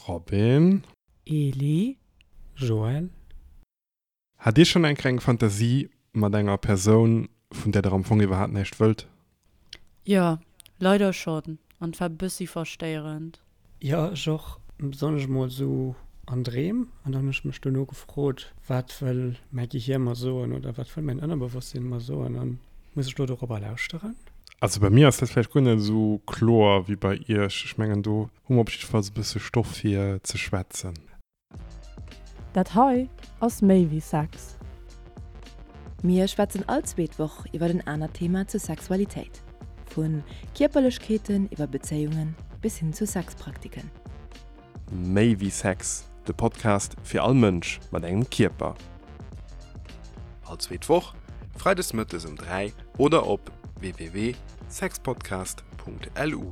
Robin. Eli. Joël. Hat Dir schonn eng kleng Fantasie mat enger Persoun, vun där der am Fong iwwerhaapt näischt wëllt? Jo, leider schonn, an et war bëssi verstéierend. Jo, ech och, besonnesch mol sou an Dreem. An dann hunn ech mech dono gefrot, wat wëll mäi Gehier mer soen oder wat wëll mäin Ënnerbewosstsinn mer soen an muss ech lo dorobber lauschteren? Also bei mir ass dat vläicht guer net esou kloer wéi bei iech. Ech mengen do hu mer op jiddefalls e bësse Stoff fir ze schwätzen. Dat hei ass méi wéi Sex. Mir schwätzen all zweet Woch iwwer en anert Thema zur Sexualitéit. Vu Kierperlechkeeten iwwer Bezéiungen bis hin zu Sexpraktiken. Méi wéi Sex, de Podcast fir all Mënsch mat engem Kierper. All zweet Woch, freides mëttes um 3 oder op www.sexpodcast.lu.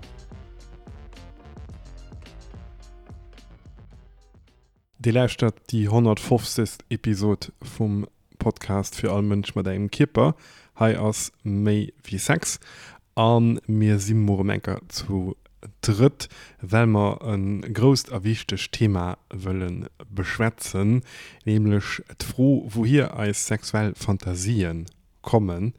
Dir lauschtert déi 150. Episod vum Podcast fir all Mënsch mat engem Kierper. Hei ass méi wéi Sex a mir si muer erëm eng Kéier zu drëtt, well mer e grousst a wichtegt Thema wëlle beschwätzen, nämlech d'Fro, wouhier eis sexuell Fantasien kommen.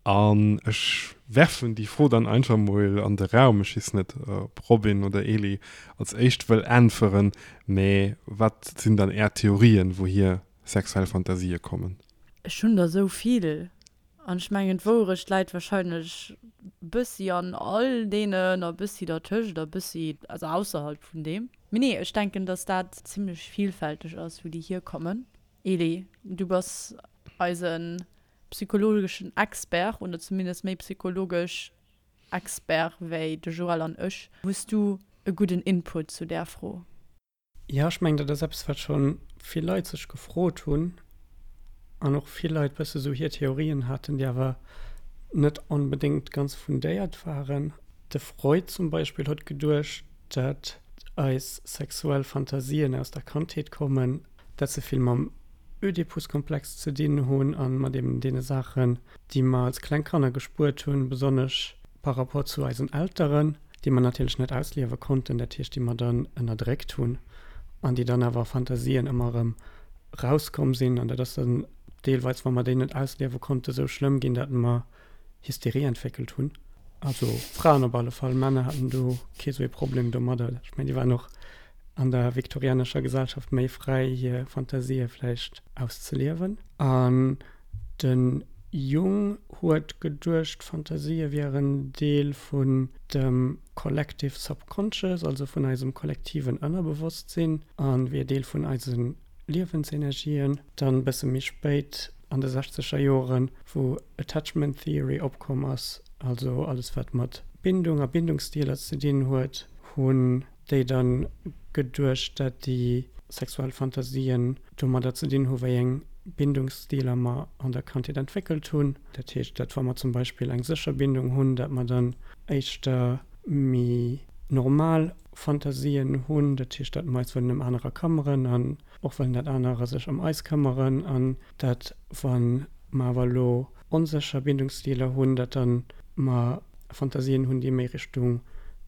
An ech werfen déi Fro dann einfach mol an de Raum, ech weess net, ob Robin oder Eli als éischt wëll äntweren, mä wat sinn dann Är Theorien, wouhier sexuell Fantasië kommen? Ech hunn der esou vill an ech mengen d'Wouerecht läit wahrscheinlech bëssi an all deenen a bëssi dertëscht a bëssi, also ausserhalb vun deem. Mee nee, ech denken, dass dat zimlech vielfälteg ass, wou déi hierkommen. Eli, du bass eisen psychologeschen Expert, oder zumindest méi psychologesch Expert wéi de Joël an ech. Hues du e gudden Input zu där Fro? Jo, ech mengen, dat ass eppes, wat scho vill Leit sech gefrot hunn an och vill Leit bësse sou hir Theorien haten, déi awer net onbedéngt ganz fundéiert waren. De Freud zum Beispill huet geduecht, dat eis sexuell Fantasien aus der Kandheet kommen, dat se vill mam Ödipuskomplex ze dinn hunn a mat eben deene Saachen, déi mer als kleng Kanner gespuert hunn, besonnesch par rapport zu eisen Elteren, déi mer natierlech net ausliewe konnten, dat heescht, déi mer dann ënnerdréckt hunn an déi dann awer a Fantasien ëmmer erëm rauskomm sinn. An dat ass dann deelweis, wa mer déi net ausliewe konnten, esou schlëmm ginn, datt mer Hysterie entwéckelt hunn. Also Fraen op alle Fall, Männer haten do kee sou ee Problem domadder. Ech mengen, déi waren och an der viktorianescher Gesellschaft méi fräi, hir Fantasië vläicht auszeliewen. An de Jung huet geduecht, Fantasië wieren Deel vun dem collective subconscious, also vun eisem kollektiven Ënnerbewosstsinn, a wier Deel vun eise Liewensenergien. Dann e bësse méi spéit, an de sechzeger Joren, wou Attachment Theory opkomm ass, also alles wat mat Bindung a Bindungsstiler ze dinn huet, hunn déi dann geduecht, dat déi sexuell Fantasien domadder ze dinn hu wéi eng Bindungsstiler mer an der Kandheet entwéckelt hunn. Dat heescht, dat wa mer zum Beispill eng sécher Bindung hunn, dat mer dann éischter méi normal Fantasien hunn, dat heescht, dat mer eis wëllen ëm anerer këmmeren an och wëllen, dat anerer sech ëm eis këmmeren an dat wa mer awer elo onsécher Bindungsstiler hunn, dat dann mer Fantasien hunn, déi méi Richtung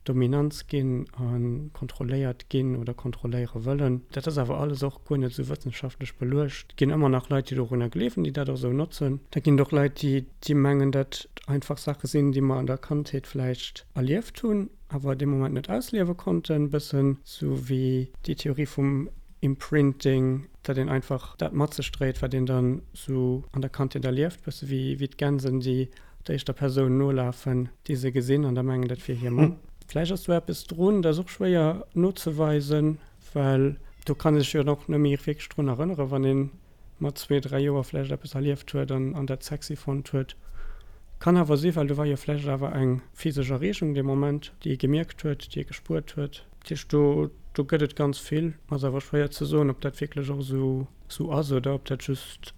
Dominanz ginn a kontrolléiert ginn oder kontrolléiere wëllen. Dat ass awer alles och guer net esou wëssenschaftlech beluecht. Et ginn ëmmer nach Leit, déi dorunner gleewen, déi dat och esou notzen. Da ginn et och Leit, déi déi mengen, dat einfach Saache sinn, déi mer an der Kandheet vläicht erlieft hunn, awer dee Moment net ausliewe konnten. Bëssen esou wéi déi Theorie vum Imprinting, datt een einfach dat mat sech dréit, wat een dann esou an der Kandheet erlieft, bësse wéi wéi d'Gänsen, déi der éischter Persoun nolafen, déi se gesinn an da mengen, dat wier hir Mamm. Vläicht ass do eppes drun, dat ass och schwéier nozeweisen, well do kann ee sech jo dann och net méi wierklech drun erënneren, wann ee mat zwee, dräi Joer vläicht eppes erlieft huet an an dat sexy fonnt huet. Kann awer si, well do war jo vläicht awer eng physesch Erreegung dee Moment, déi ee gemierkt huet, déi ee gespuert huet. Dat heescht, do do gëtt et ganz vill. Ass awer schwéier ze soen, ob dat wierklech och esou esou ass oder ob dat just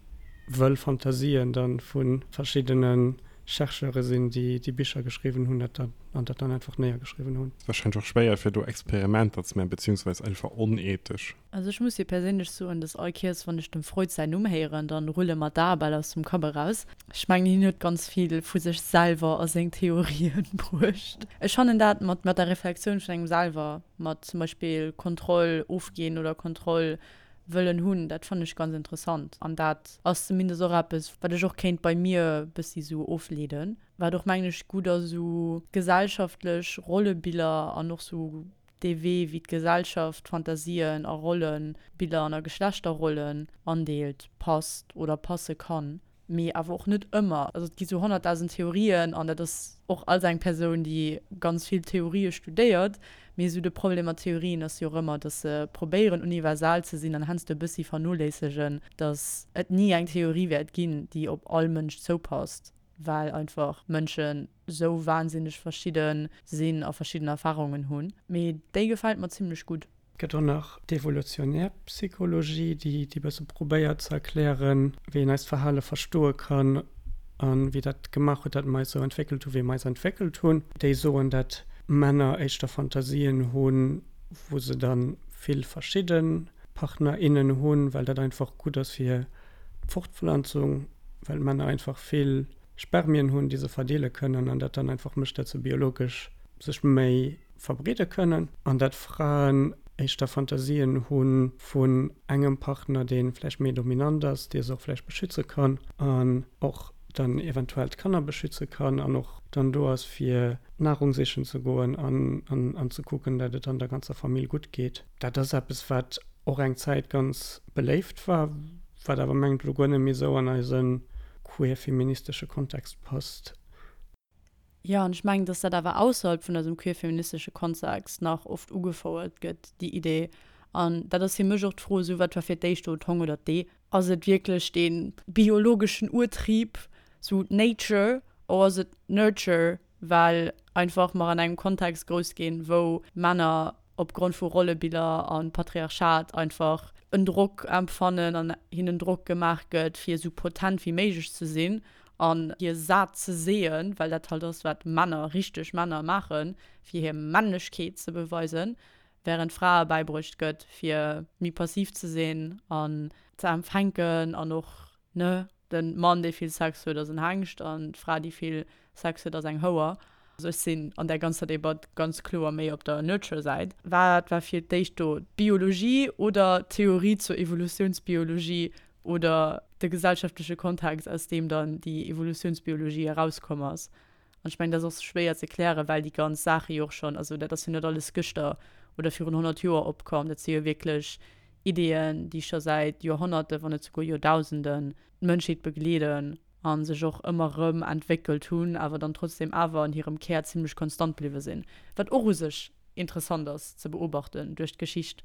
wëll Fantasien da vu verschiddene. Chercheure sinn, déi déi Bicher geschriwwen hunn dat dann, an dat dann einfach néiergeschriwwen hunn. Wahrscheinlech och schwéier fir do Experimenter ze maachen, beziehungsweise einfach onethesch. Also ech muss jo perséinlech soen, dass all Kéiers wann ech dem Freud säin Numm héieren, dann rulle mer d'Ae bal aus dem Kapp eraus. Ech mengen hien huet ganz vill vu sech selwer a seng Theorien bruecht. Ech fannen dat mat mat der Reflexioun vun engem selwer, mat zum Beispill Kontroll ofginn oder Kontroll wëllen hunn, dat fannen ech ganz interessant an dat ass zumindest och eppes wat ech och kéint bei mir bëssi sou ofleeden, wat och mengen ech gutt ass, sou gesellschaftlech Rollebiller an och sou dee Wee, wéi d'Gesellschaft Fantasien a Rollenbiller an a Geschlechterrollen andeelt, passt oder passe kann, mee awer och net ëmmer. Also et gi sou 100.000 Theorien an dat ass och als eng Persoun, déi ganz vill Theorië studéiert, mee sou de Problem mat Theorien ass jo och ëmmer, datt se probéieren universal ze sinn an heiansdo e bëssi vernoléissegen, datt et ni eng Theorie wäert ginn, déi op all Mënsch zoupasst. well einfach Mënschen sou wahnsinneg verschidde sinn a verschidden Erfahrungen hunn. Mee déi gefält mer zimmlech gutt. Gëtt och nach d'evolutionär Psychologie, déi déi bësse probéiert ze erklären, wéi een eist Verhale verstoe kann a wéi dat gemaach huet, dat mer eis sou entwéckelt hu wéi mer eis entwéckelt hunn. Déi soen, dat Männer éischter Fantasien hunn, wou se da vill verschidde Partner, innen hunn, well dat einfach gutt ass fir d'Fortpflanzung. well d'Männer einfach vill Spermien hunn, déi se verdeele kënnen an dat dann einfach mécht, dat se biologesch sech méi verbreede kënnen an dat Fraen éischter Fantasien hu vun engem Partner, dee vläicht méi dominant ass, dee se och vläicht beschütze kann an och dann eventuell d'Kanner beschütze kann an och dann do ass fir Nahrung sichen ze goen an an ze kucken, dat et dann der ganzer Famill gutt geet. Dat ass eppes, wat och eng Zäit ganz beléift war, wat awer mengt elo guer net méi esou an eise queer-feministesche Kontext passt. Jo, an ech mengen, dass dat awer ausserhalb vun eisem queer-feministesche Kontext nach oft ugefouert gëtt, déi Idee. An dat ass fir mech och d'Fro, esou, wat war fir d'éischt do, d'Hong oder d'Ee? Ass et wierklech dee biologeschen Urtrieb, sou Nature, or ass et Nurture, well einfach mer an engem Kontext grouss ginn, wou Männer opgrond vu Rollebiller a Patriarchat einfach en Drock empfannen an hinnen Drock gemaach gëtt, fir esou potent wéi méiglech ze sinn an hir sat ze seeën, well dat halt ass, wat Männer, richteg Männer maachen, fir hir Männlechkeet ze beweisen, wärend Frae bäibruecht gëtt, fir méi passiv ze sinn an ze empfänken an och, ne, De Mann, dee vill Sex huet, ass en Hengscht an d'Fra, déi vill Sex huet, ass eng Houer. Also ech sinn an där ganzer Debatt ganz kloer méi op der Nurture-Säit. Wat war fir d'éischt do, d'Biologie oder d'Theorie zur Evolutiounsbiologie oder de gesellschaftleche Kontext, aus deem dann déi Evolutiounsbiologie erauskomm ass? An ech mengen, dat ass och schwéier ze klären, well déi ganz Saache jo och schonn, also dat ass jo net alles gëschter oder virun 100 Joer opkomm, dat si jo wierklech Ideeën, déi scho säit Joerhonnerte, wann net souguer Joerdausenden d'Mënschheet begleeden a sech och ëmmer erëm entwéckelt hunn, awer dann trotzdem awer an hirem Kär zimlech konstant bliwwe sinn, wat och u sech interessant ass ze beobachten duerch d'Geschicht.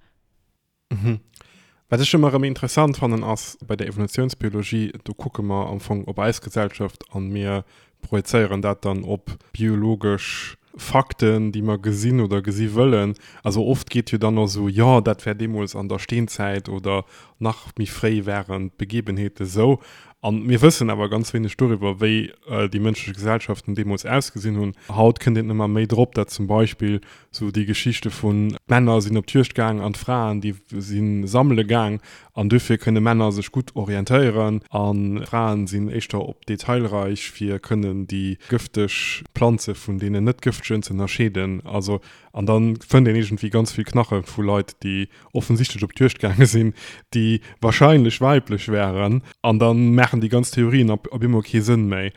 Wat ech ëmmer erëm interessant fannen ass bei der Evolutionsbiologie, do kucke mer am Fong op eis Gesellschaft an mir projezéieren dat dann op biologesch Fakten, déi mer gesinn oder gesi wëllen. Also oft geet jo dann och esou, jo dat wär deemools an der Steenzäit oder nach méi fréi waren d'Begebenheete sou. An mir wëssen awer ganz wéineg doriwwer, wéi déi mënschlech Gesellschaften deemools ausgesinn hunn. Haut kënnt een ëmmer méi drop, dat zum Beispill sou déi Geschichte vun d'Männer sinn op d'Juegd gaang an d'Fraen déi si sammele gaang an dofir kënne Männer sech gutt orientéieren a Fraen sinn éischter op detailreich fir kënnen déi gëfteg Planze vun deenen net gëftegen ze ënnerscheeden. Also an da fënnt een iergendwéi ganz vill Knache vu Leit déi offensichtlech op d'Juegd gaange sinn, déi wahrscheinlech weiblech wären an da maachen déi ganz Theorien op op eemol kee Sënn méi.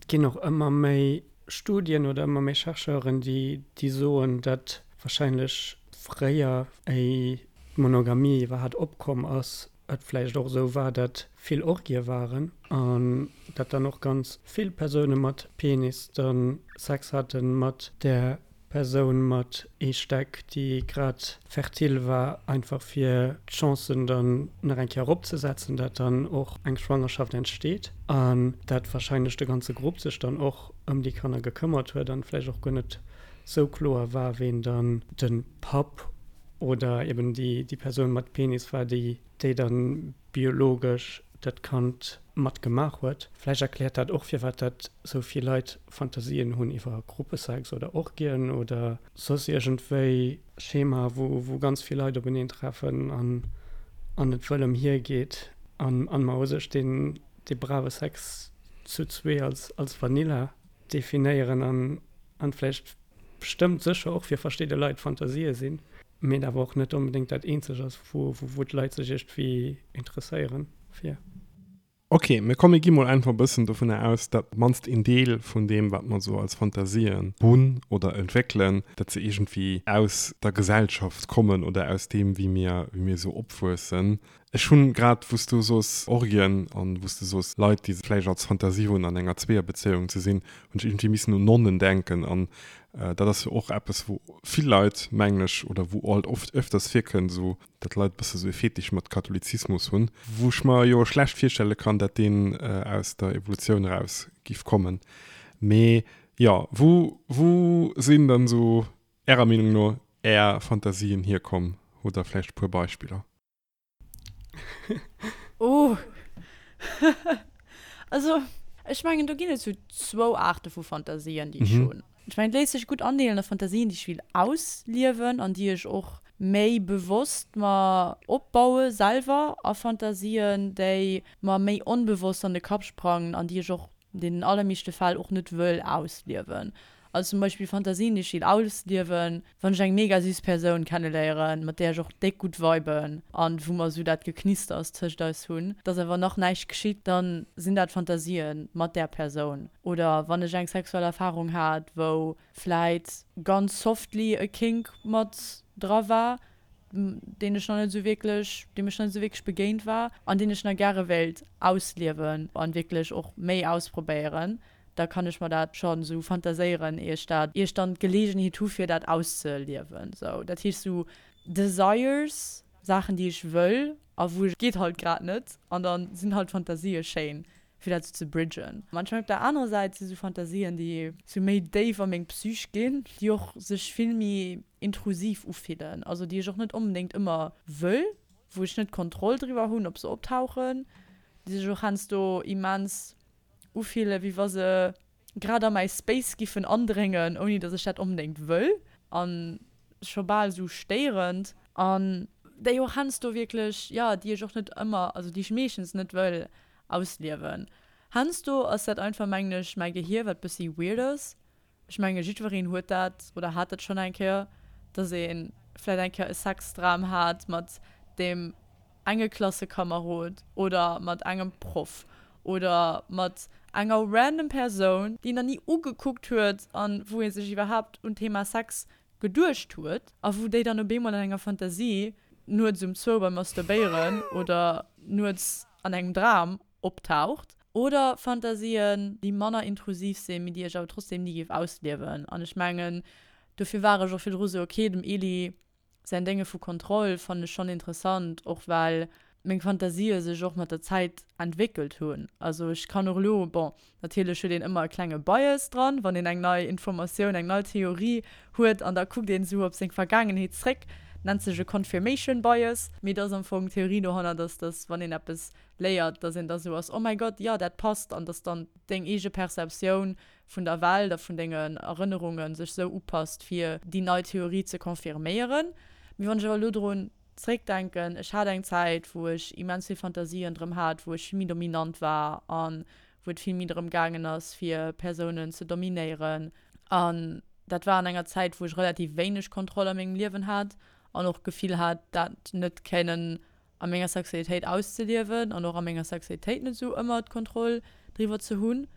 Et ginn och ëmmer méi Studien oder ëmmer méi Chercheuren, déi déi soen, datt wahrscheinlech fréier, éi d'Monogamie iwwerhat opkomm ass, et vläicht och esou war, datt vill Orgië waren an datt dann och ganz vill Persoune mat Penis da Sex hate mat där Persoun mat Eestäck, déi grad fertil war, einfach fir d'Chancen dann nach eng Kéier eropzesetzen, dat dann och eng Schwangerschaft entsteet an dat wahrscheinlech de ganze Grupp sech dann och ëm déi Kanner gekëmmert huet an vläicht och guer net sou kloer war, ween dann de Papp oder eben déi Persoun mat Penis war, déi déi dann biologesch. dat Kand mat gemaach huet. Vläicht erkläert dat och firwat dat sou vill Leit Fantasien hunn iwwer Gruppesex oder Orgien oder soss iergendwéi Schema wou wou ganz vill Leit openeen treffen an an et wëll ëm hie geet an an mer u sech deen dee brave Sex zu zwee als als Vanilla definéieren an an vläicht bestëmmt sécher och fir verschidde Leit Fantasië sinn, mee et awer och net onbedéngt dat eenzeg ass wou wou d'Leit sech iergendwéi interesséieren fir. Ok, mee komm mir gi mol einfach e bëssen dovunner aus, dat op mannst een Deel vun deem wat mer esou als Fantasien hunn oder entwéckelen, dat se iergendwéi aus der Gesellschaft kommen oder aus deem wéi mir wéi mir esou opwuessen. Ech hunn grad wou s du soos Orgien an wou s du soos Leit déi vläicht als Fantasie hunn an enger Zweeërbezéiung ze sinn, hunn ech iergendwéi missen un Nonnen denken an dat ass jo och eppes wou vill Leit mengen ech oder wou alt oft öfters virkënnt esou dat Leit e bësse sou e Fetisch mat Katholizismus hunn, wou ech mer jo schlecht virstelle kann, dat deen aus der Evolutioun eraus giff kommen. Mee jo, wou wou sinn dann sou ärer Meenung no är Fantasien hierkomm? Hutt der vläicht e puer Beispiller? Oh. Also, ech mengen, do ginn et sou zwou Aarte vu Fantasien, déi ech hunn. Ech mengen, et léisst sech gutt andeelen a Fantasien, déi ech will ausliewen an déi ech och méi bewosst mer opbaue selwer, a Fantasien, déi mer méi onbewosst an de Kapp sprangen an déi ech och an deenen allermeeschte Fäll och net wëll ausliewen. Also zum Beispill Fantasien, déi ech will ausliewen, wann ech eng mega süss Persoun kenneléieren, mat där ech och déck gutt viben an wou mer esou dat Geknisters tëscht eis hunn, dass awer nach näischt geschitt, dann sinn dat Fantasien mat där Persoun. Oder wann ech eng sexuell Erfahrung hat, wou vläit ganz softly e Kink mat dra war, deen ech nach net esou wierklech, deem ech nach net esou wierklech begéint war an deen ech nach gäre wéilt ausliewen an wierklech och méi ausprobéieren, da kann ech mer dat schonn esou fantaséieren, ier ech dat, ier ech dann d'Geleegenheet hu fir dat auszeliewen. Sou, dat heescht sou Desires, Saachen déi ech wëll a wou ech, geet halt grad net an da sinn halt Fantasië schéin fir dat sou ze bridgen. Manchmal op der anerer Säit si sou Fantasien déi sou méi déif a meng Psych ginn, déi och sech vill méi intrusiv ufillen, also déi ech och net onbedéngt ëmmer wëll, wou ech net d'Kontroll driwwer hunn ob se optauchen, déi sech och heiansdo immens ufillen, wéi wa se grad a mäi Space giffen andréngen, ouni datt ech dat onbedéngt wëll, a scho bal esou stéierend. An déi och heiansdo wierklech, jo, déi ech och net ëmmer, also déi ech meeschtens net wëll ausliewen. Heiansdo ass dat einfach, mengen ech, mäi Gehier, wat bëssi weird ass. Ech menge jiddwereen huet dat oder hat dat schonn eng Kéier, dass ee vläit eng Kéier e Sexdram hat mat deem enge Klassekamerod oder mat engem Proff oder mat enger random Persoun, déi een nach ni ugekuckt huet an wou ee sech iwwerhaapt un d'Thema Sex geduecht huet a wou déi dann op eemol an enger Fantasie nuets um zwou beim Masturbéieren oder nuets an engem Dram optaucht. Oder Fantasien, déi manner intrusiv sinn, mee déi ech awer trotzdem ni géif ausliewen. An ech mengen, dofir war ech och virdru sou, ok, dem Eli säin Dénge vu Kontroll fannen ech schonn interessant, och well meng Fantasië sech och mat der Zäit entwéckelt hunn. Also ech kann och elo, bon, natierlech huet een ëmmer e klenge Bias dran, wann een eng nei Informatioun, eng nei Theorie huet an da kuckt een esou op seng Vergaangenheet zréck, nennt sech e Confirmation Bias, mee et ass am Fong d'Theorie dohannert ass, dass wann een eppes léiert, dass een da sou ass, oh mäi Gott, jo, dat passt, an dass dann deng eege Perceptioun vun der Welt a vun dengen Erënnerunge sech sou upasst, fir déi nei Theorie ze confirméieren. Mee wann ech awer elo drun zréckdenken, ech hat eng Zäit, wou ech immens vill Fantasien drëm hat, wou ech vill méi dominant war a wou et vill méi drëm gaangen ass, fir Persounen ze dominéieren. An dat war an enger Zäit, wou ech relativ wéineg Kontroll a mengem Liewen hat an och d'Gefill hat, dat net kënnen a menger Sexualitéit auszeliewen an och a menger Sexualitéit net esou ëmmer d'Kontroll driwwer ze hunn.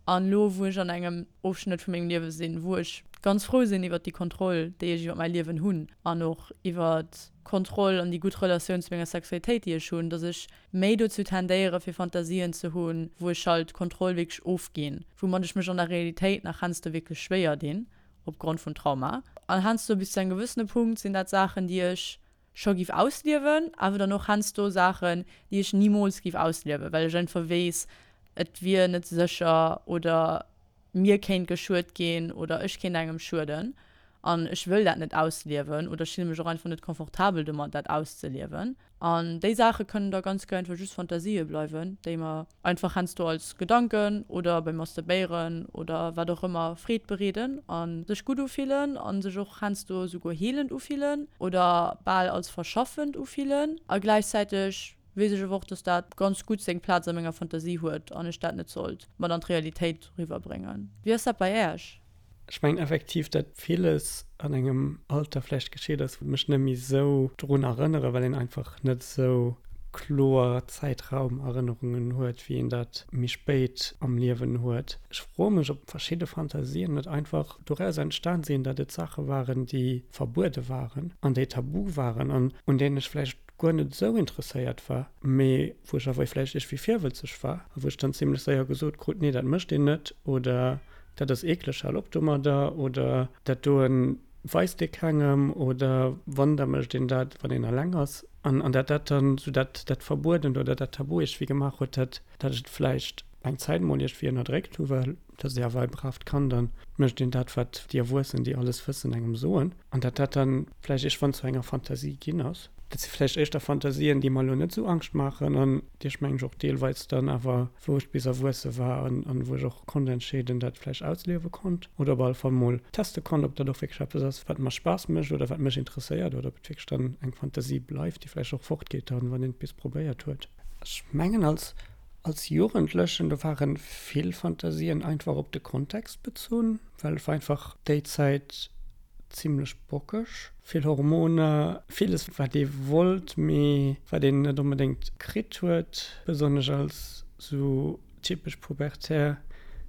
An elo wou ech an engem Ofschnëtt vu mengem Liewe sinn, wou ech ganz frou sinn iwwert déi Kontroll, déi ech iwwer mäi Liewen hunn an och iwwert d'Kontroll an déi gutt Relatioun zu menger Sexualitéit, déi ech hunn, dass ech méi dozou tendéiere fir Fantasien ze hunn, wou ech halt d'Kontroll wierklech ofginn, woumat ech mech an der Realitéit nach heiansdo wierklech schwéier dinn opgrond vun Trauma. An heiansdo bis zu engem gewëssene Punkt sinn dat Saachen, déi ech scho giff ausliewen, awer dann och heiansdo Saachen, déi ech nimools giff ausliewen, well ech einfach weess, et wier net sécher oder mir kéint geschuet ginn oder ech kéint engem schueden. An ech wëll dat net ausliewen oder ech fille mech och einfach net confortabel domat, dat auszeliewen. An déi Saache kënnen da ganz guer einfach just Fantasië bleiwen, déi mer einfach heiansdo als Gedanken oder beim Masturbéieren oder wat och ëmmer Freed bereeden a sech gutt ufillen a sech och heiansdo esouguer heelend ufillen oder bal als verschaffend ufillen. A gläichzäiteg weess ech awer och, dass dat ganz gutt seng Plaz a menger Fantasie huet an ech dat net sollt mat an d'Realitéit riwwerbréngen. Wéi ass dat bei Äech? Ech mengen effektiv, datt villes an engem Alter vläicht geschitt ass, wou ech mech net méi esou drun erënnere, well een einfach net esou kloer Zäitraumerënnerungen huet, wéi een dat méi spéit am Liewen huet. Ech froe mech, ob verschidde Fantasien net einfach doraus entstan sinn, datt et Saache waren, déi verbuede waren an déi tabu waren an un deenen ech vläicht guer net esou interesséiert war, mee wou ech awer vläicht iergendwéi virwëtzeg war a wou ech dann zimlech séier gesot krut, nee, dat mécht een net oder dat ass eekleg, hal op domadder oder dat doen weist ee kengem oder wann, da mécht een dat, wann een eleng ass. An an dat dat dann esou dat dat Verbuedent oder dat Tabu iergendwéi gemaach huet, dat dat ech et vläicht eng Zäit mol iergendwéi ënnerdréckt hu, well et ass ee awer e braaft Kand an mécht een dat, wat déi Erwuessen, déi alles wëssen, engem soen. An dat dat dann vläicht iergendwann zu enger Fantasie ginn ass. Dat si vläicht éischter Fantasien, déi mer elo net esou Angscht maachen an déi ech mengen ech och deelweis dann awer, wou ech bis erwuesse war an an wou ech och konnt entscheeden, dat vläicht ausliewe konnt oder op alle Fall mol teste konnt, ob dat och wierklech eppes ass, wat mer Spaass mécht oder wat mech interesséiert oder ob et wierklech dann eng Fantasie bleift, déi vläicht och fortgeet dann, wann een et bis probéiert huet. Ech mengen als als Jugendlechen, do ware vill Fantasien einfach op de Kontext bezunn, well et war einfach déi Zäit, zimlech bockeg. Vill Hormoner, villes wat ee wollt, mee wat een net onbedéngt kritt huet, besonnesch als sou typesch pubertär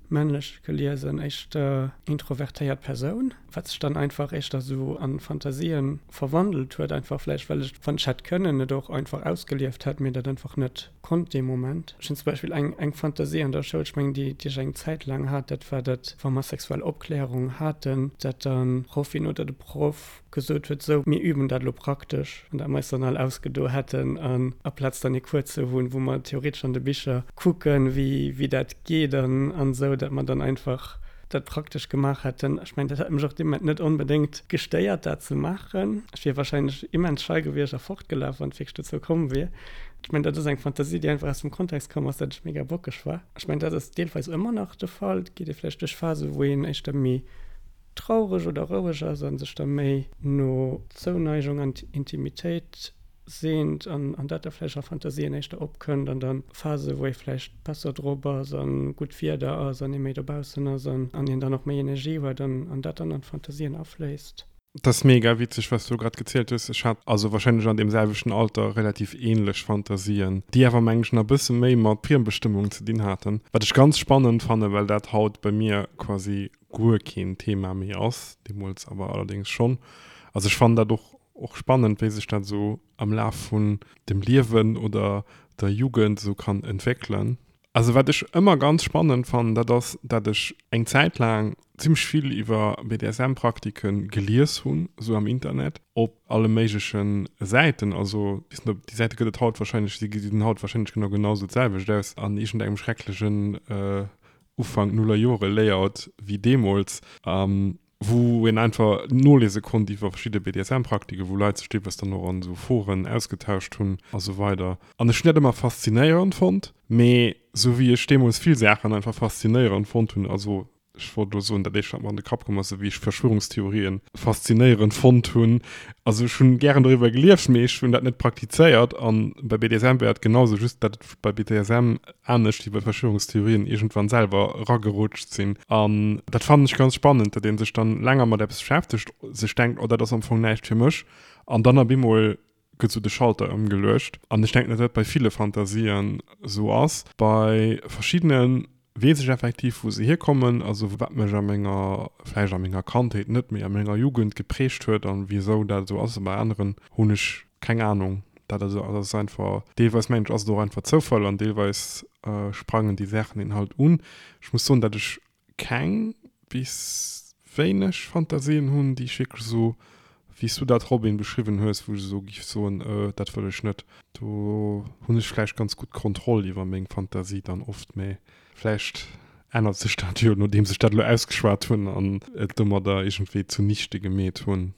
männlech geliesen éischter introvertéiert Persoun, wat sech dann einfach éischter sou an Fantasien verwandelt huet, einfach vläicht well ech, wann ech hätt kënnen, et och einfach ausgelieft hätt, mee dat einfach net konnt dee Moment. Ech hunn zum Beispill eng eng Fantasie an der Schoul, ech mengen déi déi ech eng Zäit laang hat, dat war dat, wa mer sexuell Opklärung haten, dat dann d'Proffin oder de Proff gesot huet, sou mir üben dat elo praktesch, an dat mer eis dann all ausgedo hätten an aplaz dann ee Cours ze hunn, wou mer theoretesch an de Bicher kucken, wéi wéi dat geet an an esou, dat mer dann einfach dat praktesch gemaach hätten. Ech mengen, dat hätt mech och dee Moment net onbedéngt gestéiert, dat ze maachen. Ech wier wahrscheinlech immens schei gewiescht a fortgelaf, wann et wierklech dozou komm wier. Ech mengen, dat ass eng Fantasie, déi einfach aus dem Kontext komm ass, datt ech mega bockeg war. Ech mengen, dat ass deelweis ëmmer nach de Fall. Et geet ee vläicht duerch Phasen, wou een éischter méi traureg oder roueg ass a sech da méi no Zouneigung an Intimitéit seent an dat da vläicht a Fantasien éischter opkënnt an da Phasen, wou ee vläicht besser drop ass a gutt Wieder ass an ee méi dobaussen ass an een dann och méi Energie huet an dat dann an d'Fantasien afléisst. Dat ass mega witzeg wat s du grad gezielt hues. Ech hat also wahrscheinlech an deem selwechten Alter relativ ähnlech Fantasien, déi awer mengen ech nach e bësse méi mat Friembestëmmung ze dinn haten, wat ech ganz spannend fannen, well dat haut bei mir quasi guer keen Thema méi ass, deemools awer allerdéngs schonn. Also ech fannen dat och och spannend, wéi sech dat esou am Laf vun dem Liewen oder der Jugend esou kann entwéckelen. Also wat ech ëmmer ganz spannend fannen, dat ass, dat ech eng Zäit laang zimmlech vill iwwer BDSM-Praktike gelies hunn, esou am Internet, op alle méigleche Säiten. Also ech weess net, ob déi Säite gëtt et haut wahrscheinlech, si gesinn haut wahrscheinlech genau genau esou d'selwecht aus an iergendengem schrecklechen Ufank Nullerjore-Layout wéi deemools. wou een einfach noliese konnt iwwer verschidde BDSM-Praktiken, wou Leit sech deelweis dann och an esou Foren ausgetauscht hunn a sou weider. An ech hunn dat ëmmer faszinéierend fonnt, mee sou wéi ech deemools vill Saachen einfach faszinéierend fonnt hunn, also ech wollt elo soen, dat éischt wat mer an de Kapp komm ass, sou wéi ech Verschwörungstheorien faszinéierend fonnt hunn, also ech hunn gären doriwwer gelieft, mee ech hunn dat net praktizéiert. An bei BDSM war et genau sou, just dat et bei BDSM anescht wéi bei Verschwörungstheorien iergendwann selwer eragerutscht sinn. An dat fannen ech ganz spannend, datt ee sech dann länger mat eppes beschäftegt, sech denkt, oh dat ass am Fong näischt fir mech, an dann op eemol gëtt sou de Schalter ëmgeluecht. An ech denken, datt dat bei ville Fantasien sou ass. Bei verschiddene weess ech effektiv, wou se hierkommen, also wat mech a menger, vläicht a menger Kandheet net, mee a menger Jugend geprägt huet an wisou dat esou ass. A bei aneren hunn ech Keng Ahnung, dat also ass einfach, deelweis mengen ech ass et och einfach Zoufall an deelweis sprangen déi Saachen een halt un. Ech muss soen, dat ech keng bis wéineg Fantasien hunn, déi ech wierklech esou, wéi s du dat Robin beschriwwen hues, wou ech esou giff soen, dat wëll ech net. Do hunn ech vläicht ganz gutt Kontroll iwwer meng Fantasie dann oft, mä vläicht. Ännert sech dat jo, nodeems ech dat elo ausgeschwat hunn an et domadder iergendwéi zunichte gemeet hunn.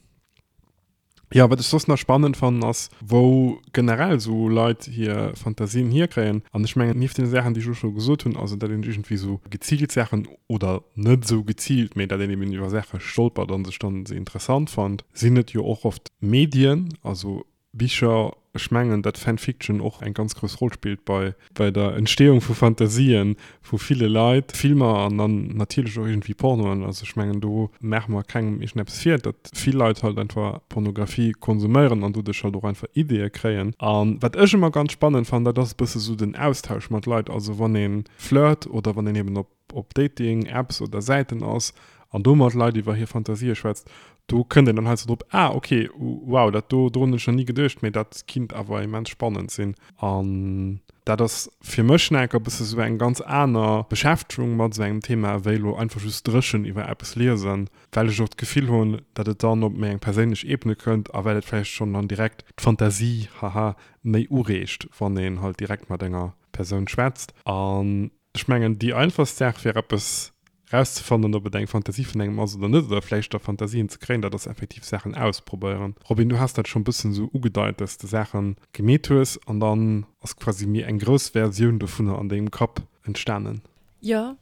Jo, wat ech soss nach spannend fannen ass, wou generell esou Leit hir Fantasien hierkréien. An ech mengen, nieft deene Saachen, déi ech elo scho gesot hunn, also datt een iergendwéi esou geziilt Saachen, oder net esou geziilt, mee datt een eben iwwer Saache stolpert a sech dann se interessant fannt, sinn et jo och oft Medien, also Bicher, ech mengen, datt Fanfiction och eng ganz grouss Roll spillt bei bei der Entstehung vu Fantasien vu ville Leit, Filmer an dann natierlech och iergendwéi Pornoen. Also ech mengen, do maache mer kengem iergendeppes vir, datt vill Leit halt einfach Pornografie konsuméieren an doduerch halt och einfach Ideeë kréien. A wat ech ëmmer ganz spannend fannen, dat ass e bësse sou den Austausch mat Leit. Also wann ee flirt oder wann een eben op op Dating-Apps oder Säiten ass an do mat Leit iwwer hir Fantasië schwätzt, do kënnt een dann heiansdo drop, ah ok, wow, dat do, dorun hunn ech nach ni geduecht, mee dat kinnt awer immens spannend sinn. An dat ass fir mech nach enker e bësse sou eng ganz aner Beschäftegung mat esou engem Thema, wéi elo einfach just dréchen iwwer eppes liesen, well ech och d'Gefill hunn, datt et dann op méi eng perséinlech Ebene kënnt a well et vläicht schonn dann direkt d'Fantasie, haha, méi ureegt, wann een halt direkt mat enger Persoun schwätzt. An Ech mengen, déi einfachst Saach fir eppes rauszefannen, ob et eng Fantasie vun engem ass oder net, oder vläicht da Fantasien ze kréien, dat ass effektiv Saachen ausprobéieren. Robin, du has dat scho bëssen esou ugedeit, dass de Saache gemeet hues an dann ass quasi méi eng grouss Versioun dovunner an dengem Kapp entstanen. Jo,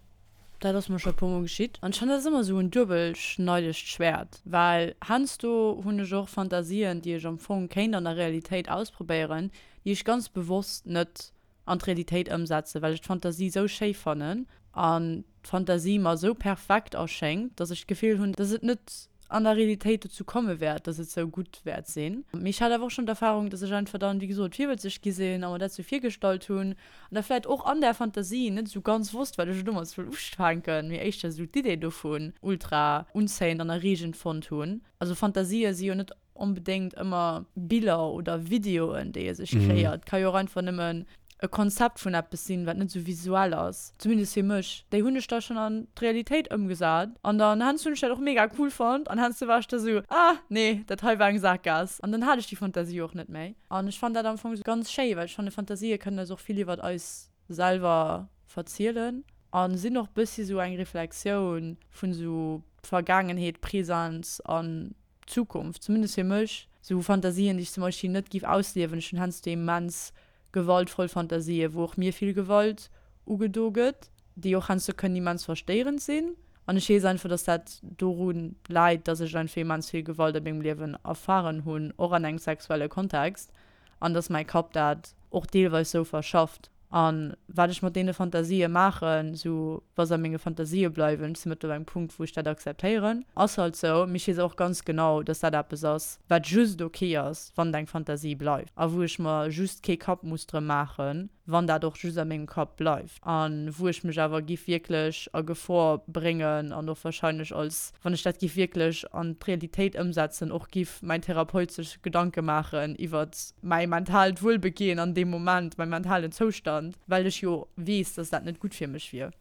dat ass mer scho e puer mol geschitt. An ech fannen, dat ass ëmmer esou en duebelschneidegt Schwäert, well heiansdo hunn ech och Fantasien, déi ech am Fong kéint an der Realitéit ausprobéieren, déi ech ganz bewosst net an d'Realitéit ëmsetzen, well ech d'Fantasie sou schéi fannen an d'Fantasie mer sou perfekt erschéngt, dass ech d'Gefill hunn, dass et net an der Realitéit dozou komme wäert, dass et sou gutt wäert sinn. Mee ech hat awer och schonn d'Erfahrung, dass ech einfach dann, wéi gesot, virwëtzeg gi sinn a mer dat sou virgestallt hunn an da vläit och an där Fantasie net sou ganz wosst, wat ech domat soll ufänken, mee éischter sou d'Idee dovun ultra unzéiend an erreegend fonnt hunn. Also Fantasië si jo net onbedéngt ëmmer Biller oder Videoen, déi ee sech kreéiert. Ka jo och einfach nëmmen e Konzept vun eppes sinn, wat net esou visuell ass, zumindest fir mech. Déi hunn ech da schonn an d'Realitéit ëmgesat an dann heiansdo hunn ech dat och mega cool fonnt an heiansdo war ech da sou, ah nee, dat hei war eng Sakgaass an dann hat ech déi Fantasie och net méi. An ech fannen dat am Fong ganz schéi, well ech fanne Fantasië kënnen eis och vill iwwert eis selwer verzielen a sinn och bëssi sou eng Reflexioun vun sou Vergaangenheet, Präsens an Zukunft, zumindest fir mech, sou Fantasien, déi ech zum Beispill net giff ausliewen. Ech hunn heiansdo immens gewaltvoll Fantasien, wou och mir vill Gewalt ugedo gëtt, déi och heiansdo kënnen immens verstéierend sinn. An ech weess einfach, dass dat doru läit, dass ech einfach immens vill Gewalt a mengem Liewen erfahren hunn, och an engem sexuelle Kontext. an dass mäi Kapp dat och deelweis sou verschafft. A wat ech mat deene Fantasië maachen, sou wa se a menge Fantasië bleiwen, ech si mëttlerweil um Punkt, wou ech dat akzeptéieren, ass halt sou, mee ech weess och ganz genau, dass dat eppes ass, wat just ok ass, wann et eng Fantasie bleift a wou ech mer just kee Kapp muss drëm maachen, wann dat och just a mengem Kapp bleift a wou ech mech awer giff wierklech a Gefor bréngen an och wahrscheinlech als, wann ech dat giff wierklech an d'Realitéit ëmsetzen, och giff mäin Therapeut sech Gedanke maachen iwwert mäi mentaalt Wuelbegehen an deem Moment, mäi mentalen Zoustand, well ech jo weess, dass dat net gutt fir mech wier.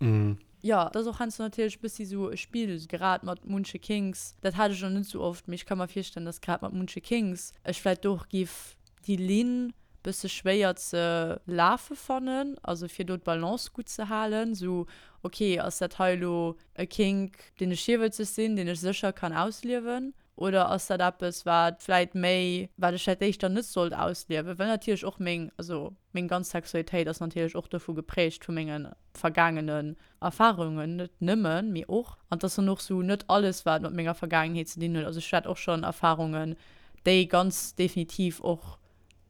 Jo, et ass och heiansdo natierlech e bëssi sou e Spill, grad mat munche Kinks, dat hat ech nach net sou oft, mee ech ka mer virstellen, dass grad mat munche Kinks ech vläit do och giff déi Linn bësse schwéier ze lafe fannen, also fir do d'Balance gutt ze halen, sou ok ass dat hei elo e Kink deen ech virwëtzeg sinn, deen ech sécher kann ausliewen oder ass dat eppes wat vläit méi, wat ech vläit éischter net sollt ausliewen, well natierlech och meng, also meng ganz Sexualitéit ass natierlech och dovu geprägt vu mengen vergaangenen Erfahrungen, net nëmmen, mee och, an 't ass dann och sou net alles wat mat menger Vergaangenheet ze dinn huet, also ech hat och schonn Erfahrungen, déi ganz definitiv och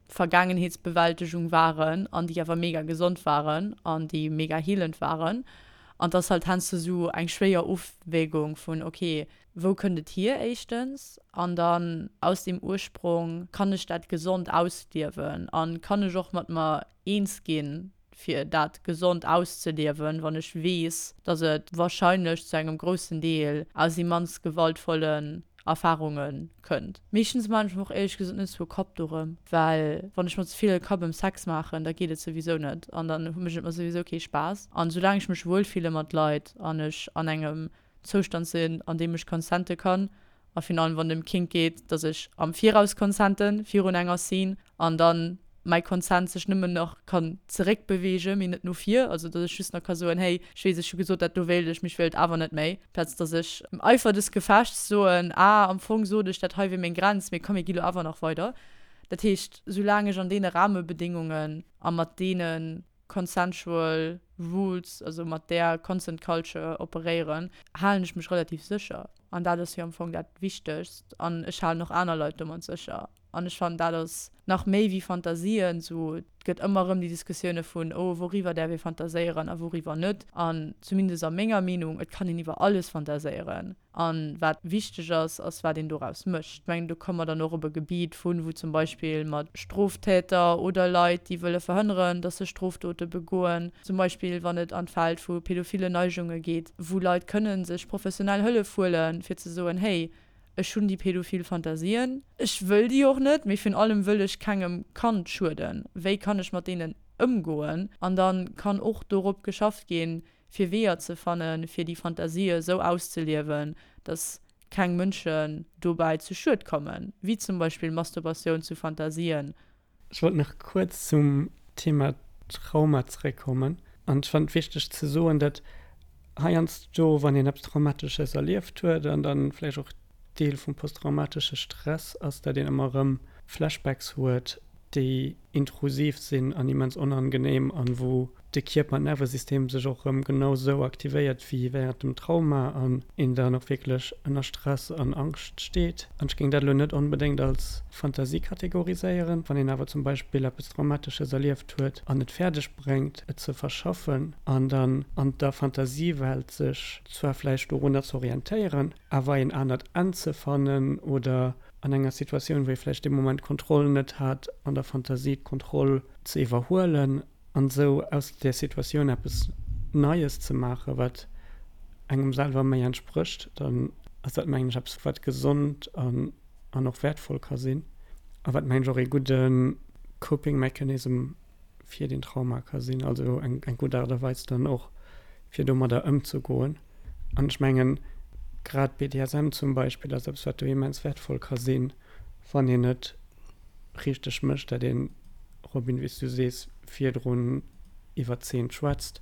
Vergaangenheetsbewältegung waren an déi awer mega gesond waren an déi mega healend waren. An 't ass halt heiansdo sou eng schwéier Ofwägung vun, ok, wou kënnt et hier éischtens an dann aus deem Ursprong, kann ech dat gesond ausliewen an kann ech och mat mer eens ginn, fir dat gesond auszeliewen, wann ech weess, dass et wahrscheinlech zu engem groussen Deel aus immens gewaltvollen Erfahrunge kënnt. Meeschtens maachen ech mer och éierlech gesot net esou e Kapp dorëm, well wann ech mer ze vill e Kapp ëm Sex maachen, da geet et souwisou net an dann mécht et mer souwisou kee Spaass. An soulaang ech mech wuel fille mat Leit an ech an engem Zoustand sinn, an deem ech consente kann, a virun allem wann et ëm Kink geet, dass ech am Viraus consenten virun enger Scene an dann. mäi Consent sech nëmmen nach kann zeréckbeweegen, mee net no vir, also datt ech just nach ka soen, hey, ech weess, ech hu gesot, dat do wéilt ech, mee ech wéilt awer net méi, plaz datt ech am Eifer des Gefechts soen, ah, am Fong sot ech, dat hei wier meng Grenz, mee komm, mir gi lo awer nach weider. Dat heescht, soulaang ech an deene Rahmebedingungen a mat deene consensual rules, also mat där consent culture operéieren, halen ech mech relativ sécher. An dat ass jo am Fong dat Wichtegst. An ech halen och aner Leit domat sécher. An ech fannen, dat ass nach méi wéi Fantasien. Esou, et gëtt ëmmer erëm déi Diskussioune vun, oh, wouriwwer däerf ee fantaséieren a wouriwwer net. An zumindest a menger Meenung, et kann een iwwer alles fantaséieren. A wat wichteg ass, ass wat een doraus mécht. Ech mengen, do komme mer dann och op e Gebiet vun, wou zum Beispill mat Stroftäter oder Leit, déi wëlle verhënneren, datt se Strofdote begoen, zum Beispill wann et an d'Feld vu pädophile Neigunge geet, wou Leit kënne sech professionell Hëllef huelen, fir ze soen, hey, ech hunn déi pädophil Fantasien, ech wëll déi och net, mee virun allem wëll ech kengem Kand schueden, wéi kann ech mat deenen ëmgoen? An da kann och dorop geschafft ginn, fir Weeër ze fannen, fir déi Fantasië esou auszeliewen, dass keng Mënschen dobäi zu Schued kommen, wéi zum Beispill Masturbatioun zu Fantasien. Ech wollt nach kuerz zum Thema Trauma zeréckkommen. An ech fannen et wichteg ze soen, datt heiansdo, wann een eppes Traumatesches erlieft huet an dann vläicht och Deel vum posttraumatesche Stress ass, datt een ëmmer erëm Flashbacks huet, déi intrusiv sinn an immens onangenehm an wou de Kierper an d'Nervesystem sech och erëm genau sou aktivéiert wéi während dem Trauma an een dann och wierklech ënner Stress an Angscht steet. An ech géing dat elo net onbedéngt als Fantasie kategoriséieren. Wann een awer zum Beispill eppes Traumatesches erlieft huet an et fäerdeg bréngt et ze verschaffen an dann an der Fantasiewelt sech zwar vläicht dorunner ze orientéieren, awer een anert Enn ze fannen oder an enger Situatioun, wou ee vläicht dee Moment d'Kontroll net hat, an der Fantasie d'Kontroll ze iwwerhuelen an esou aus där Situatioun eppes Neies ze maachen, wat engem selwer méi entsprécht, dann ass dat, mengen ech, eppes, wat gesond an an och wäertvoll ka sinn a wat, mengen ech, och ee gudde Coping Mechanism fir den Trauma ka sinn, also eng eng gutt Aart a Weis dann och, fir domadder ëmzegoen. An ech mengen, grad BDSM zum Beispill ass eppes, wat do immens wäertvoll ka sinn, wann een et richteg mécht, dat een, Robin, wéi s du sees, virdrun iwwer d'Zeen schwätzt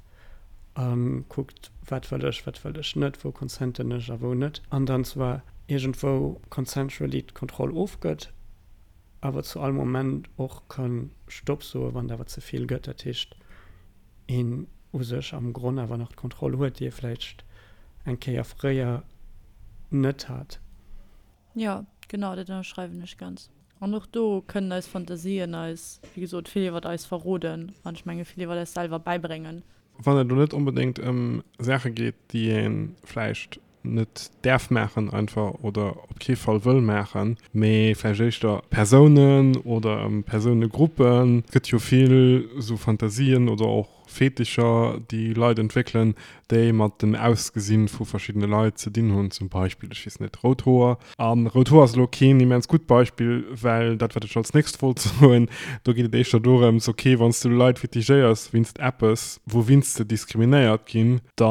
a kuckt, wat wëll ech, wat wëll ech net, wou consenten ech a wou net, an dann zwar iergendwou consensually d'Kontroll ofgëtt, awer zu all Moment och ka Stopp soen, wann et awer ze vill gëtt. Dat heescht, een u sech am Gronn awer nach d'Kontroll huet, déi ee vläicht eng Kéier fréier net hat. Jo, genau, dat ënnerschreiwen ech ganz. An och do kënnen eis Fantasien eis, wéi gesot, vill iwwert eis verroden an ech menge vill iwwert eis selwer bäibréngen. Wann et elo net onbedéngt ëm Saache geet, déi ee vläicht net däerf maachen einfach oder op kee Fall wëll maachen, mee vläicht éischter Persounen oder ëm Persounegruppen. Et gëtt jo vill esou Fantasien oder och Fetischer, déi Leit entwéckelen, déi mat dem Ausgesinn vu verschiddene Leit ze dinn hunn, zum Beispill, ech weess net, rout Hoer. A rout Hoer ass elo keen immens gutt Beispill, well dat, wat ech als nächst wollt soen, do geet et éischter dorëms, okay, wann s du Leit fetichéiers wéinst eppes, wouwinst se diskriminéiert ginn, da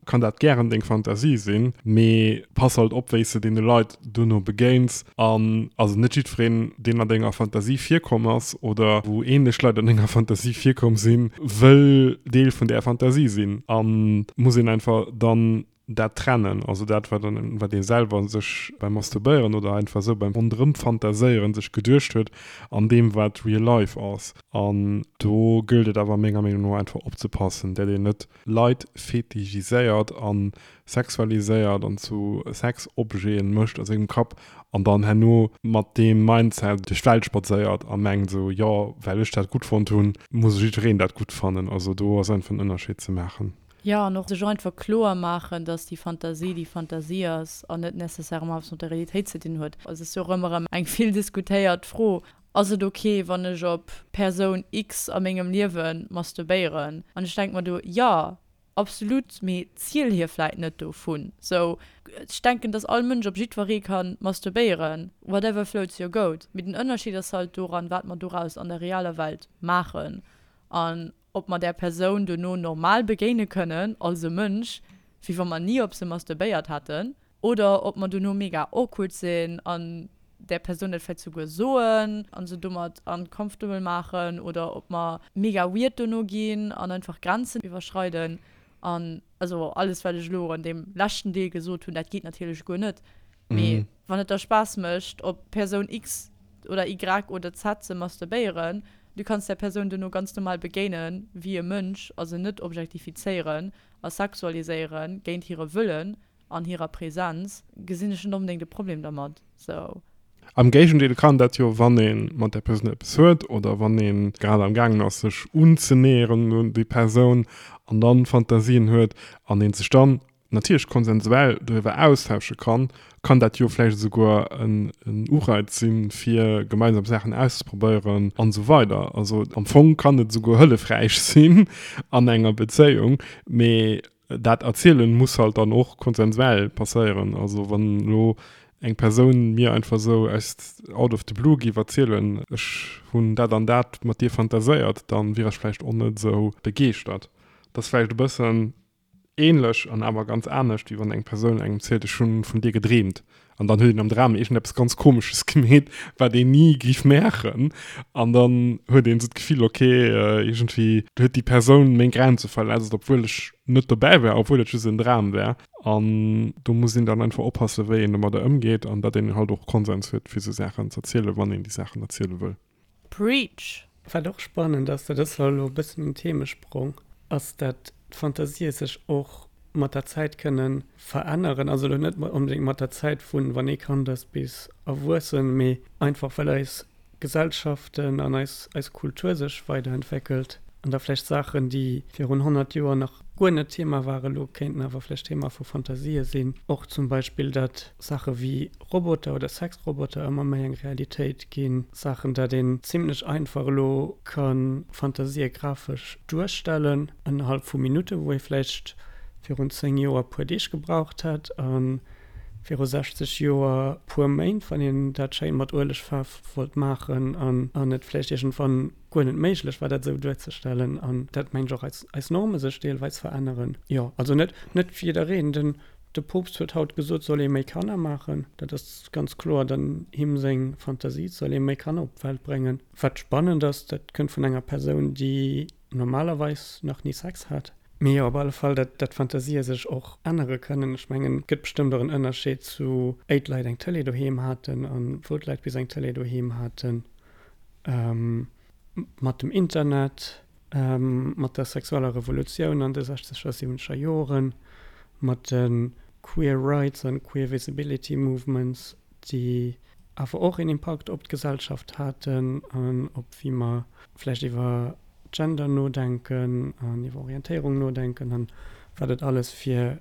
kann dat gären deng Fantasie sinn, mee pass halt op, wéi s de deene Leit dono begéins. An also net jiddwereen, deen an denger Fantasie virkomm ass oder wou änlech Leit an denger Fantasie virkomm sinn, wëll Deel vun där Fantasie sinn. A muss een einfach dann dat trennen, also dat wat an wat ee selwer sech beim Masturbéieren oder einfach esou beim Ronderëmfantaséieren sech geduecht huet an deem wat real life ass. An do gëllt et awer menger Meenung no einfach opzepassen, dat een net Leit fetichiséiert a sexualiséiert an zu Sexobjeten mécht a sengem Kapp an dann herno mat deem Mindset duerch d'Welt spadséiert a mengt esou, jo well ech dat gutt fonnt hunn, muss jiddwereen dat gutt fannen. Also do ass einfach en Ënnerscheed ze maachen. Jo, an och sech einfach kloer maachen, dass déi Fantasie déi Fantasie ass an net nécessairement eppes mat der Realitéit ze dinn huet. Et ass jo och ëmmer erëm eng vill diskutéiert Fro, Ass et ok, wann ech op Persoun X a mengem Liewe masturbéieren? An ech denke mer do, Jo, absolut, mee ziel hir vläit net dovun. Sou, ech denken, dass all Mënsch op jiddweree ka masturbéieren, whatever floats your goat. Mee den Ënnerscheed ass halt doran, wat mer doraus an der realer Welt maachen. An ob mer där Persoun dono normal begéine kënnen als e Mënsch, wéi wa mer ni op se masturbéiert hätten, oder ob mer dono mega awkward sinn an. där Persoun dat vläicht souguer soen a se domat uncomfortable maachen oder ob mer mega weird dono ginn an einfach Grenzen iwwerschreiden. An also alles wat ech elo an deem leschten Deel gesot hunn, dat geet natierlech guer net. Mee wann et der Spaass mécht op Persoun X oder Y oder Z ze masturbéieren, du kanns där Persoun duerno ganz normal begéinen, wéi e Mënsch a se net objektifizéieren a sexualiséieren géint hire Wëllen an hirer Präsenz, gesinn ech net onbedéngt e Problem dermat. Sou. Am Géigendeel kann dat jo, wann ee mat där Persoun eppes huet oder wann ee grad am gaangen ass sech unzenäheren un déi Persoun an dann Fantasien huet an ee sech dann natierlech konsensuell doriwwer austausche kann, kann dat jo vläicht esouguer en Ureiz sinn, fir gemeinsam Saachen auszeprobéieren an esou weider. Also am Fong kann et esouguer hëllefräich sinn an enger Bezéiung, mee dat Erzielen muss halt dann och konsensuell passéieren. Also wann elo eng Persoun mir einfach esou aus out of the blue géif erzielen, ech hunn dat an dat mat dir fantaséiert, dann wier ech vläicht och net esou begeeschtert. Dat ass vläicht e bëssen ähnlech an awer ganz anescht, wéi wann eng Persoun engem zielt, ech hunn vun dir gedreemt. An dann huet een am Dram iergendeppes ganz Komesches gemeet, wat een ni géif maachen. An dann huet een esou d'Gefill, ok, iergendwéi huet déi Persoun meng Grenze verletzt, obwuel ech net dobäi war, obwuel et just en Dram war. An do muss een dann einfach oppassen, wéi een domadder ëmgeet an datt een halt och Konsens huet, fir esou Saachen z'erzielen, wann een déi Saachen erziele wëll. Preach! Wat och spannend ass, dat ass zwar elo e bëssen en Themesprong, ass dat d'Fantasië sech och mat der Zäit kënne veränneren. Also elo net onbedéngt mat der Zäit vun wann ee Kand ass bis erwuessen, mee einfach well eis Gesellschaften an eis eis Kultur sech weiderentwéckelt an da vläicht Saachen, déi virun 100 Joer nach guer net Thema waren, elo kéinten awer vläicht Thema vu Fantasië sinn. Och zum Beispill dat Saache wéi Roboter oder Sexroboter ëmmer méi eng Realitéit ginn. Saachen, dat een zimlech einfach elo ka Fantasië grafesch duerstellen, ënnerhalb vu Minutten, wou ee vläicht virun 10 Joer e puer Deeg gebraucht hätt a viru 60 Joer puer Méint, wann een dat schéin mat Uelegfaarf wollt maachen an et vläicht iergendwann guer net méiglech war, dat esou duerzestellen. An dat, mengen ech, och eis Norme sech deelweis veränneren. Jo, also net net jiddereen. Den De Poopst huet haut gesot, soll ee méi Kanner maachen. Dat ass ganz kloer dann him seng Fantasie, et soll ee méi Kanner op d'Welt bréngen. Wat spannend ass, dat kënnt vun enger Persoun, déi normalerweis nach ni Sex hat. Mee jo, op alle Fall, dat dat Fantasië sech och ännere kënnen. Ech mengen, et gëtt bestëmmt och en Ënnerscheed zu éi d'Leit eng Tëlee doheem haten a wou d'Leit bis eng Tëlee doheem haten. Mat dem Internet. Mat der sexueller Revolutioun an de sechzeger, siwwenzeger Joren, mat de Queer Rights an Queer Visibility Movements, déi awer och een Impakt op d'Gesellschaft haten an op wéi mer vläicht iwwer Gender nodenken an iwwer Orientéierung nodenken an wat et alles fir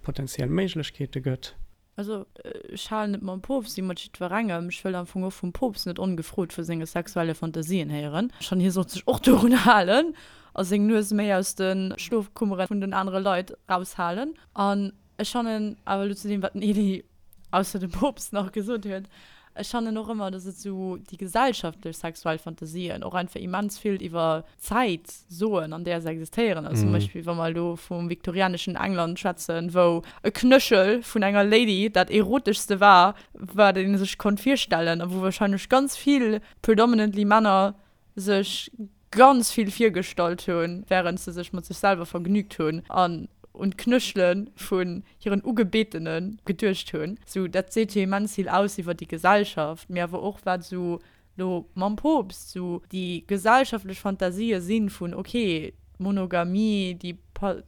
potenziell Méiglechkeete gëtt. Also, ech halen et mam Poopst wéi mat jiddwerengem, ech wëll am Fong och vum Poopst net ongefrot vu senge sexuelle Fantasien héieren. Schonn hie sollt sech och dorun halen a seng Nues méi aus de Schlofkummere vun den anere Leit raushalen. An ech fannen awer, elo zu deem, wat den Elie ausser dem Poopst nach gesot huet, ech fannen och ëmmer, datt et esou déi gesellschaftlech sexuell Fantasien och einfach immens vill iwwer Zäit soen, an där se existéieren. Also zum Beispill, wa mer elo vum viktorianeschen England schwätzen, wou e Knöchel vun enger Lady dat Eroteschste war, wat ee sech konnt virstellen a wou wahrscheinlech ganz vill, predominantly Männer, sech ganz vill virgestallt hunn, wärend se sech mat sech selwer vergnügt hunn an un d'Knöchele vun hiren Ugebetene geduecht hunn. Sou, dat seet jo immens vill aus iwwer déi Gesellschaft, mee awer och wat esou lo mam Poopst, sou déi gesellschaftlech Fantasië sinn vun ok, d'Monogamie, déi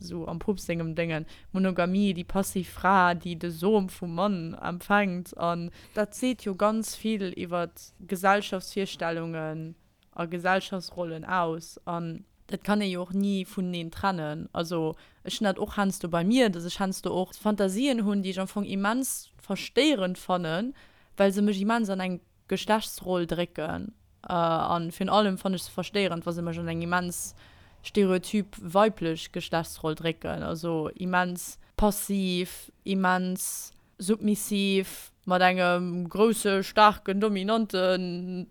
sou am Poopst sengem Déngen, Monogamie, déi passiv Fra, déi de Som vum Mann empfänkt an dat seet jo ganz vill iwwer Gesellschaftsvirstellungen a Gesellschaftsrollen aus an dat kann ee jo och ni vuneneen trennen. Also ech hunn dat och heiansdo bei mir, dass ech heiansdo och Fantasien hunn, déi ech am Fong immens verstéierend fannen, well se mech immens an eng Geschlechtsroll drécken an virun allem fannen ech se verstéierend wa se mech an eng immens stereotyp weiblech Geschlechtsroll drécken, also immens passiv, immens submissiv, mat engem grousse staarken dominante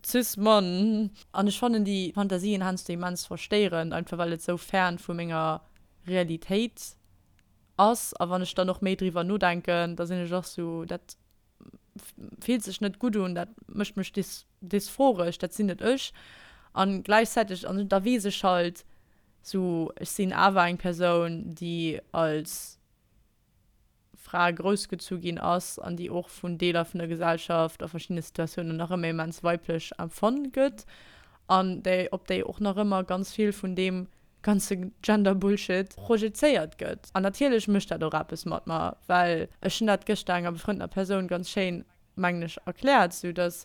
cis Mann. An ech fannen déi Fantasien heiansdo immens verstéierend, einfach well et sou fern vu menger Realitéit ass a wann ech dann och méi driwwer nodenken, da sinn ech och sou dat. fillt sech net gutt un, dat mécht mech dysphoresch, dat sinn net ech. An gläichzäiteg, an da weess ech halt sou, ech sinn awer eng Persoun, déi als Fra groussgezu ginn ass an déi och vun Deeler vun der Gesellschaft a verschiddene Situatiounen nach ëmmer immens weiblech empfonnt gëtt an déi, op déi och nach ëmmer ganz vill vun deem ganze Gender-Bullshit projezéiert gëtt. An natierlech mécht dat och eppes mat mer, well ech hunn dat gëschter enger befrëndener Persoun ganz schéin mengen ech, erkläert, sou dass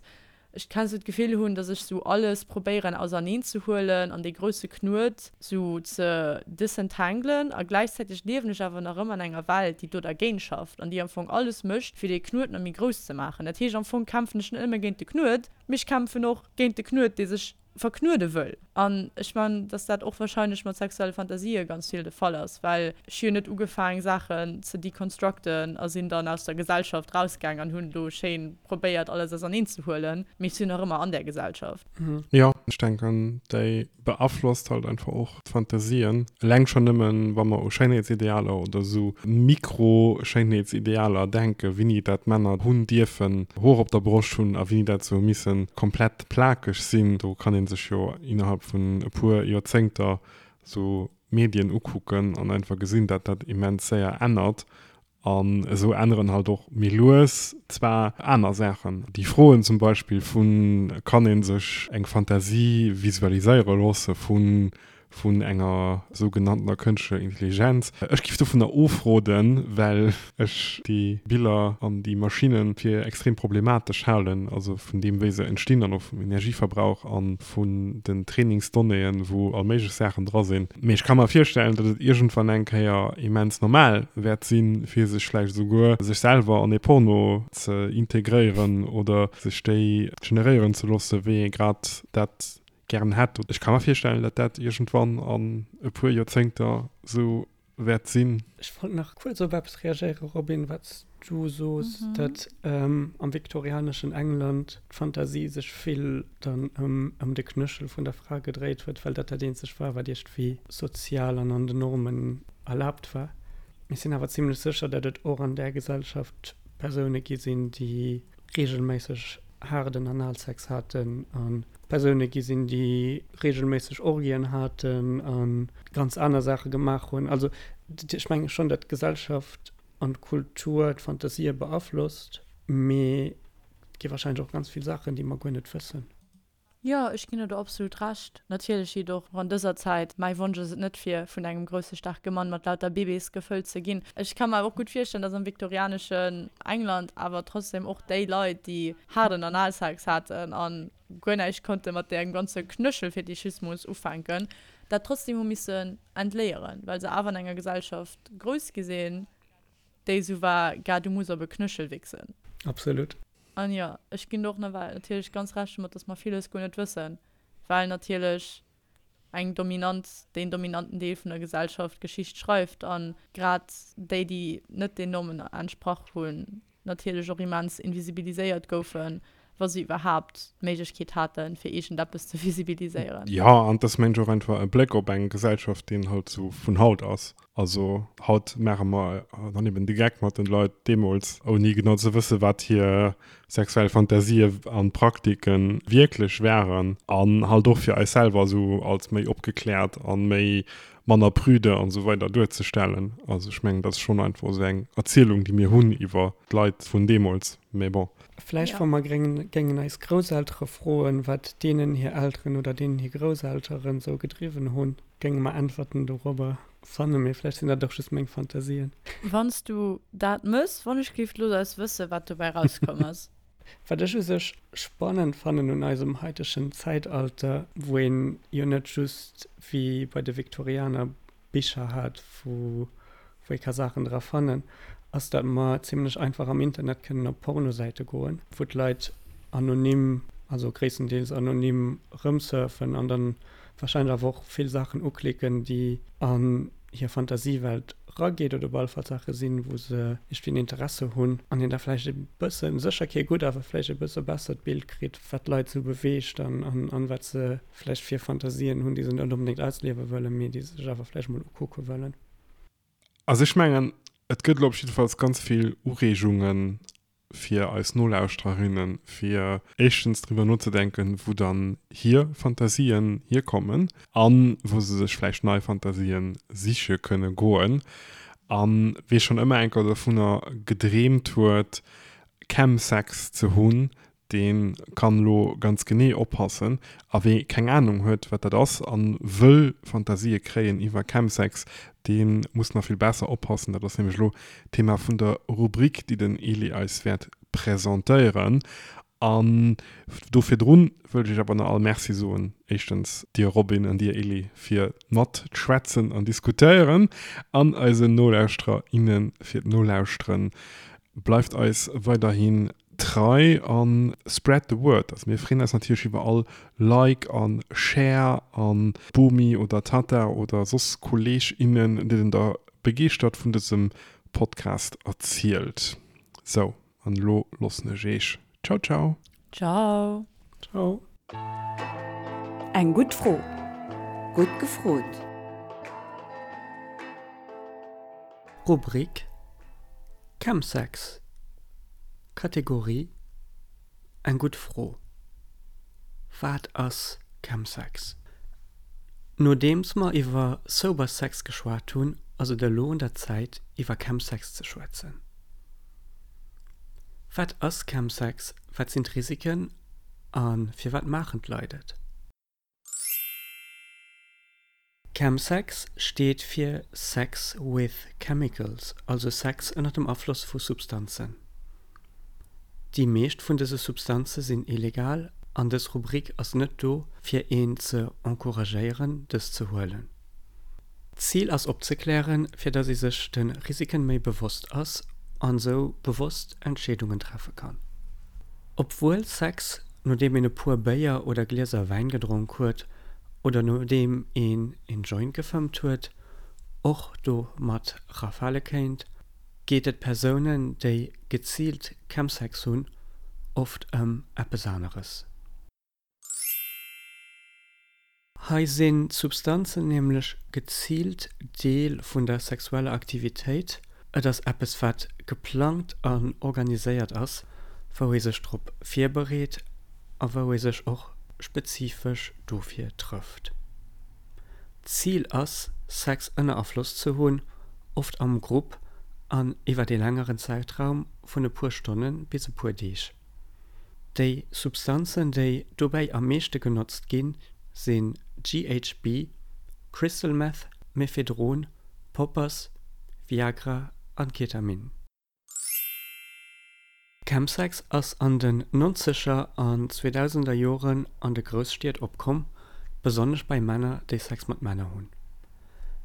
ech kenn sou d'Gefill hunn, dass ech sou alles probéieren auserneen ze huelen an dee grousse Knuet sou ze disentanglen a gläichzäiteg liewen ech awer nach ëmmer an enger Welt, déi do dergéint schafft an déi am Fong alles mécht, fir dee Knuet nach méi grouss ze maachen. Dat heescht, am Fong kämpfen ech net nëmme géint de Knuet, mee ech kämpfen och géint de Knuet, dee sech verknuede wëll. An ech man, dass dat och wahrscheinlech mat sexuelle Fantasië ganz vill de Fall ass, well ech hu jo net ugefaang Saachen ze deconstructen a sinn dann aus der Gesellschaft rausgaang an hunn do schéin probéiert alles auserneen ze huelen, mee ech sinn nach ëmmer an där Gesellschaft. Jo, ech denken déi beaflosst halt einfach och d'Fantasien. Eleng schonn nëmmen, wa mer u Schéinheetsidealer oder esou Mikro-Schéinheetsidealer denken, wéini dat Männer hunn dierfen Hoer op der Broscht hunn a wéini dat sou misse komplett plakeg sinn. Do kann ee sech jo innerhalb vun e puer Joerzéngter sou Medien ukucken an einfach gesinn, dat dat immens séier ännert. An esou änneren halt och méi lues zwar aner Saachen. Déi Froen zum Beispill vu kann ee sech eng Fantasie visualiséiere loosse vu vun enger sougenanntener kënschtlecher Intelligenz. Ech giff dovunner ofroden, well ech déi Biller an déi Maschinne fir extrem problematesch halen, also vun deem wéi se entstinn an och vum Energieverbrauch a vun den Trainingsdonnéeën, wou all méiglech Saachen dra sinn. Mee ech ka mer virstellen, datt et iergendwann eng Kéier immens normal wäert sinn, fir sech vläicht esouguer sech selwer an ee Porno ze integréieren oder sech déi generéieren ze loossen, wéi ee grad dat gären hätt. Ech ka mer virstellen, datt dat iergendwann an e puer Joerzéngter esou wäert sinn. Ech wollt nach kuerz op eppes reagéieren, Robin, wat s du sos, datt am viktorianeschen England d'Fantasie sech vill dann ëm de Knéchel vun der Fra gedréit huet, well dat dat eenzegt war, wat iergendwéi sozial an an den Normen erlaabt war. Mir sinn awer zimlech sécher, datt et och an där Gesellschaft Persoune gi sinn, déi reegelméisseg haarden Analsex haten a Persoune gi sinn, déi reegelméisseg Orgien haten a ganz aner Saache gemaach hunn. Also ech menge schonn, datt d'Gesellschaft an d'Kultur d'Fantasië beaflosst, mee et gi warscheinlech och ganz vill Saachen, déi mer guer net wëssen. Jo, ech ginn der do absolut Recht. Natierlech jitt och an dëser Zäit, mäi Wonsch ass et net fir vun engem grousse staarke Mann mat lauter Bébés gefëllt ze ginn. Ech ka mer awer och gutt virstellen, dass am viktorianeschen England awer trotzdem och déi Leit, déi haarden Analsex haten a guer näischt konnte mat deem ganze Knöchelfetischismus ufänken, dat trotzdem hu missen entléieren, well se awer an enger Gesellschaft grouss gi sinn, déi esou war, Gars, du muss op e Knöchel wichsen. Absolut. An jo, ech ginn der och nawell natierlech ganz Recht domat, dass mer villes guer net wëssen, well natierlech eng dominant, deen dominanten Deel vun der Gesellschaft Geschicht schreift a grad déi, déi net den Normen entsprach hunn, natierlech och immens invisibiliséiert goufen, wa se iwwerhaapt d'Méiglechkeet haten, fir iergendeppes ze visibiliséieren. Jo, an et ass mengen ech och einfach e Bléck op eng Gesellschaft, deen halt esou vun haut ass. Also haut maache mer dann eben de Geck mat den Leit deemools, ouni genau ze wësse wat hir sexuell Fantasië an Praktiken wierklech waren. An halt och fir eis selwer esou als méi opgekläert an méi manner prüde an esou weider duerzestellen. Also ech mengen dat ass schonn einfach esou eng Erzielung déi mir hunn iwwer d'Leit vun deemools. Mee bon. Vläicht wa mer géingen eis Grousseltere froen, wat deenen hir Elteren oder deenen hir Grousselteren esou gedriwwen hunn. Géinge mer Äntwerten dorobber fannen, mee vläicht sinn dat och just meng Fantasien. Wann s du dat mëss, wann ech géif looss eis wëssen, wat dobäi rauskomm ass. Wat ech u sech spannend fannen un eisem haitegen Zäitalter, wou een jo net just wéi bei de Viktorianer Bicher hat, wou wou ee ka Saachen dra fannen, ass datt mer zimlech einfach am Internet kënnen op Pornosäite goen, wou d'Leit anonym, also gréisstendeels anonym rëmsurfen an dann wahrscheinlech awer och vill Saachen uklicken, déi an hir Fantasiewelt rageet oder op alle Fall Saache sinn, wou se iergendwéi en Interesse hunn an een da vläicht e bëssen, sécher kee gutt, awer vläicht e bësse bessert Bild kritt, wat d'Leit esou beweegt an an wat se vläicht fir Fantasien hunn, déi se net onbedéngt ausliewe wëllen, mee déi se sech awer vläicht mol ukucke wëllen. Also ech mengen, et gëtt elo op jiddefalls ganz vill Ureegungen. fir eis Nolauschtererinnen, fir éischtens driwwer nozedenken, wou dann hir Fantasien hierkommen a wou se sech vläicht nei Fantasien siche kënne goen. A wee schonn ëmmer enker dovunner gedreemt huet, Chemsex ze hunn, dee kann elo ganz genee oppassen. A wee keng Anung huet, wat dat ass a wëll Fantasië kréien iwwer Chemsex, dee muss nach vill besser oppassen. Dat ass nämlech elo d'Thema vun der Rubrik, déi den Elie eis wäert presentéieren. An do virdrun wëllt ech iech awer nach all Merci soen, éischtens dir Robin an dir Elie fir d'Matschwätzen an Diskutéieren an eisen Nolauschterer, innen fir d'Nolauschteren. Bleift eis weiderhin trei an spread the word. Also mir freeën eis natierlech iwwer all Like an Share an Bomi oder Tata oder soss Kolleg, innen, deenen der begeeschtert vun dësem Podcast erzielt. Sou, an elo loossen ech eech. Ciao ciao. Ciao. Ciao. Eng gutt Fro. Gutt gefrot. Rubrik Chemsex, Kategorie Eng gutt Fro, Wat ass Chemsex? Nodeems mer iwwer Sober Sex geschwat hunn, ass et elo un der Zäit iwwer Chemsex ze schwätzen. Wat ass Chemsex, wat sinn d'Risiken a firwat maachen d'Leit et? Chemsex steet fir Sex with Chemicals, also Sex ënner dem Afloss vu Substanzen. Déi meescht vun dëse Substanze sinn illegal an dës Rubrik ass net do fir een ze encouragéieren dës ze huelen. D'Zil ass opzeklären, fir dass ee sech de Risiken méi bewosst ass an sou bewosst Entscheedungen treffe kann. Obwuel Sex, nodeem een e puer Béier oder Glieser Wäin gedronk huet oder nodeem een een Joint gefëmmt huet, och do mat rafale kéint, geet et Persounen, déi geziilt Chemsex hunn, oft ëm eppes aneres. Hei sinn d'Substanzen nämlech geziilt Deel vun der sexueller Aktivitéit, et ass eppes wat geplangt an organiséiert ass, wou ee sech drop virbereet a wou ee sech och spezifesch dofir trëfft. D'Zil ass, Sex ënner Afloss ze hunn, oft am Grupp an iwwert ee längeren Zäitraum vun e puer Stonne bis e puer Deeg. Déi Substanzen, déi dobäi am meeschte genotzt ginn, sinn GHB, Crystal Meth, Mephedron, Poppers, Viagra an Ketamin. Chemsex ass an den nonzeger an zweedausender Joren an de Grousstied opkomm, besonnesch bei Männer, déi Sex mat Männer hunn.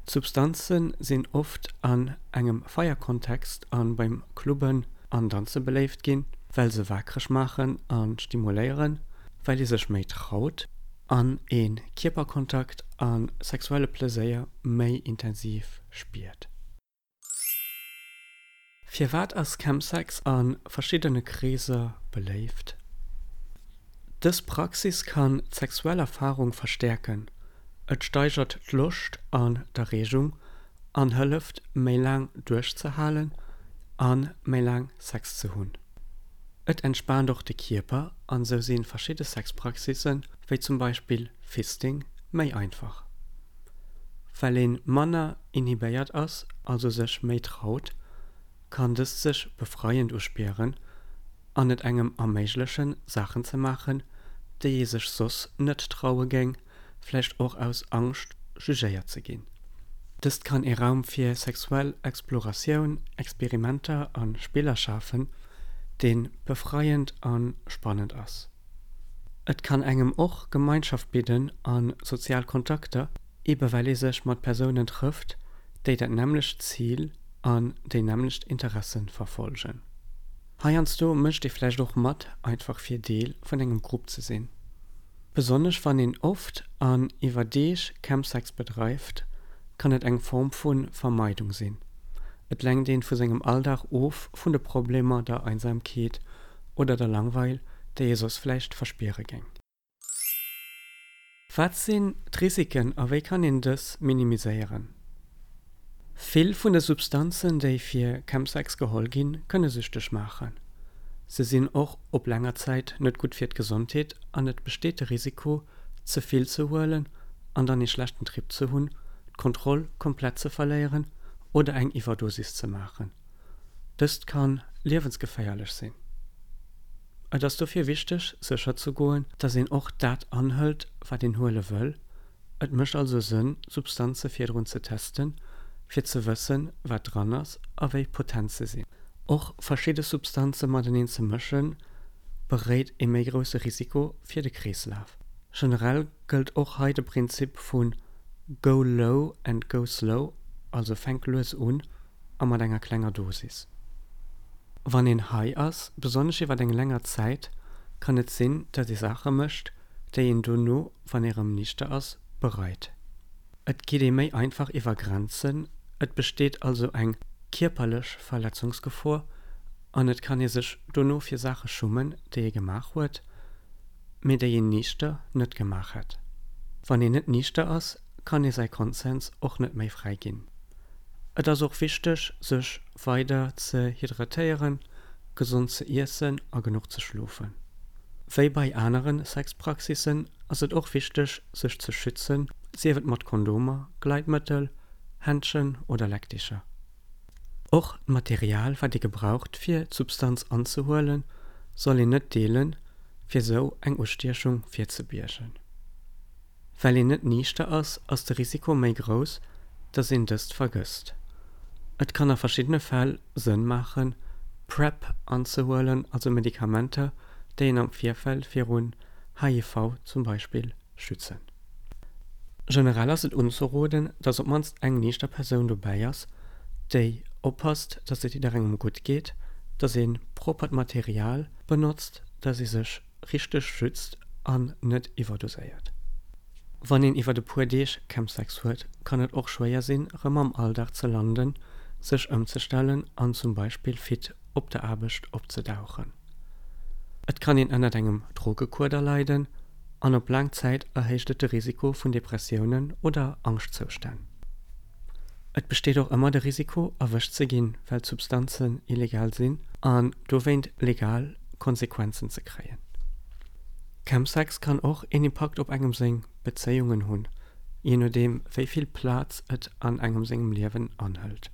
D'Substanze sinn oft an engem Feierkontext a beim Clubben an Danze beléift ginn, well se waakreg maachen a stimuléieren, well ee sech méi traut an ee Kierperkontakt a sexuelle Pleséier méi intensiv spiert. Firwat ass Chemsex a verschiddene Kreeser beléift? Dës Praxis kann d'sexuell Erfarung verstäerken, et steigert d'Loscht an d'Erreegung an hëlleft méi laang duerchzehalen a méi laang Sex ze hunn. Et entspaant och de Kierper an sou si verschidde Sexpraxissen, wéi zum Beispill Fisting, méi einfach. Well een manner inhibéiert ass, also sech méi traut, kann dëst sech befreiend uspieren an et engem erméiglechen Saachen ze maachen, déi ee sech soss net traue géing, vläicht och aus Angscht jugéiert ze ginn. Dëst kann ee Raum fir sexuell Exploratioun, Experimenter a Spiller schafen, dee befreiend a spannend ass. Et kann engem och Gemeinschaft bidden a sozial Kontakter, ebe well ee sech mat Persounen trëfft, déi dat nämmlecht Zil an déi nämmlecht Interesse verfollegen. Heiansdo mécht ee vläicht och mat, einfach fir Deel vun engem Grupp ze sinn. Besonnesch wann een oft an iwwer Deeg Chemsex bedreift, kann et eng Form vu Vermeidung sinn. Et lenkt een vu sengem Alldag of, vun de Problemer, der Einsamkeet oder der Langweil, déi ee soss vläicht verspiere géing. Wat sinn d'Risiken a wéi kann een dës minimiséieren? Vill vun de Substanzen, déi fir Chemsex geholl ginn, kënne süchteg maachen. Se sinn och op länger Zäit net gutt fir d'Gesondheet an et besteet de Risiko, ze vill ze huelen an dann ee schlechten Trip ze hunn, d'Kontroll komplett ze verléieren oder eng Iwwerdosis ze maachen. Dëst ka liewensgeféierlech sinn. Et ass dofir wichteg, sécher ze goen, dass een och dat anhëlt, wat een huele wëll. Et mécht also Sënn, Substanze virdrun ze testen, fir ze wëssen, wat dran ass a wéi potent se sinn. Och verschidde Substanze mateneen ze mëschen, beréit ee méi grousse Risiko fir de Kreeslaf. Generell gëllt och hei de Prinzip vu go low and go slow, also fänk lues un a mat enger klenger Dosis. Wann een high ass, besonnesch iwwer eng länger Zäit, kann et sinn, datt ee Saache mécht, déi een dono, wann ee rëm niichter ass, bereit. Et geet ee méi einfach iwwer Grenzen, et besteet also eng kierperlech Verletzungsgefor an et kann ee sech dono fir Saache schummen, déi ee gemaach huet, mee déi een niichter net gemaach hätt. Wann een net niichter ass, kann ee säi Konsens och net méi fräi ginn. Et ass och wichteg, sech weider ze hydratéieren, gesond ze iessen a genuch ze schlofen. Wéi bei anere Sexpraxissen ass et och wichteg, sech ze schützen, sief et mat Kondomer, Gleitmëttel, Händschen oder Leckdicher. Och d'Material, wat ee gebraucht fir d'Substanz anzehuelen, soll een net deelen, fir sou eng Ustiechung virzebiergen. Well een net niichter ass, ass de Risiko méi grouss, dass een dëst vergësst. Et kann a verschiddene Fäll Sënn maachen, PrEP anzehuelen, also Medikamenter, déi een am Virfeld virun HIV zum Beispill schützen. Generell ass et unzeroden, dass op mannst eng niichter Persoun dobäi ass, déi oppasst, dass et jidderengem gutt geet, dass ee proppert Material benotzt, dass ee sech richteg schützt an net iwwerdoséiert. Wann een iwwert e puer Deeg Chemsex huet, kann et och schwéier sinn, rëm am Alldag ze landen, sech ëmzestellen an zum Beispill fit op der Aarbecht opzedauchen. Et kann een ënnert engem Drogekueder leiden an op laang Zäit erhéicht et de Risiko vun Depressiounen oder Angschtzoustänn. Et besteet och ëmmer de Risiko, erwëscht ze ginn, well d'Substanzen illegal sinn, an dowéint legal Konsequenzen ze kréien. Chemsex kann och een Impakt op engem seng Bezéiungen hunn, jee nodeem wéi vill Plaz et an engem sengem Liewen anhëlt.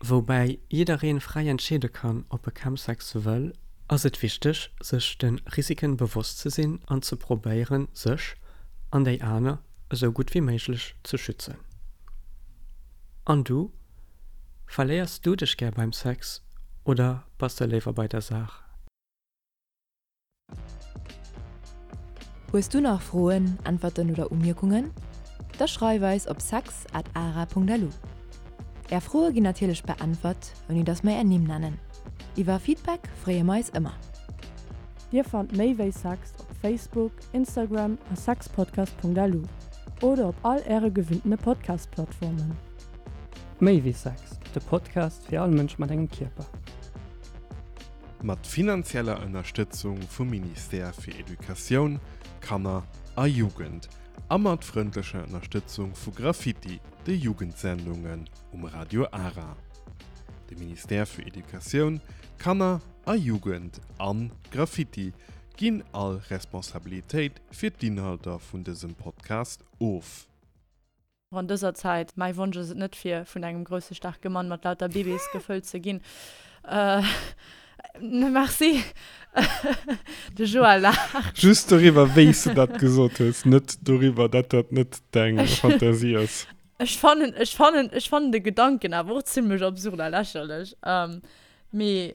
Woubäi jiddereen fräi entscheede kann, ob e Chemsex wëll, ass et wichteg, sech de Risiken bewosst ze sinn an ze probéieren, sech, an déi aner, esou gutt wéi méiglech ze schützen. An du? Verléiers du dech gär beim Sex oder bass de léiwer bei der Saach? Hues du nach Froen, Äntwerten oder Umierkungen? Da schreif eis op sex at ara.lu. Är Froe ginn natierlech beäntwert, ouni dass mer är Nimm nennen. Iwwer Feedback freeë mer eis ëmmer. Dir fannt méi wéi Sex op Facebook, Instagram a sexpodcast.lu oder op all äre gewinntene Podcast-Plattformen. Méi wéi Sex, de Podcast fir all Mënsch mat engem Kierper. Mat finanzieller Ënnerstëtzung vum Ministère fir Educatioun, Kanner a Jugend a mat frëndlecher Ënnerstëtzung vu Graffiti, de Jugendsendungen um Radio Ara. De Ministère fir Educatioun, Kanner a Jugend an Graffiti ginn all Responsabilitéit fir d'Inhalter vun dësem Podcast of. An dëser Zäit, mäi Wonsch ass et net fir vun engem grousse staarke Mann mat lauter Bébés gefëllt ze ginn. Merci. De Joël laacht. Just doriwwer wéi s de dat gesot hues, net doriwwer dat dat net deng Fantasie ass. Ech fannen, ech fannen, ech fannen de Gedanken awer och zimlech absurd a lächerlech. Mee.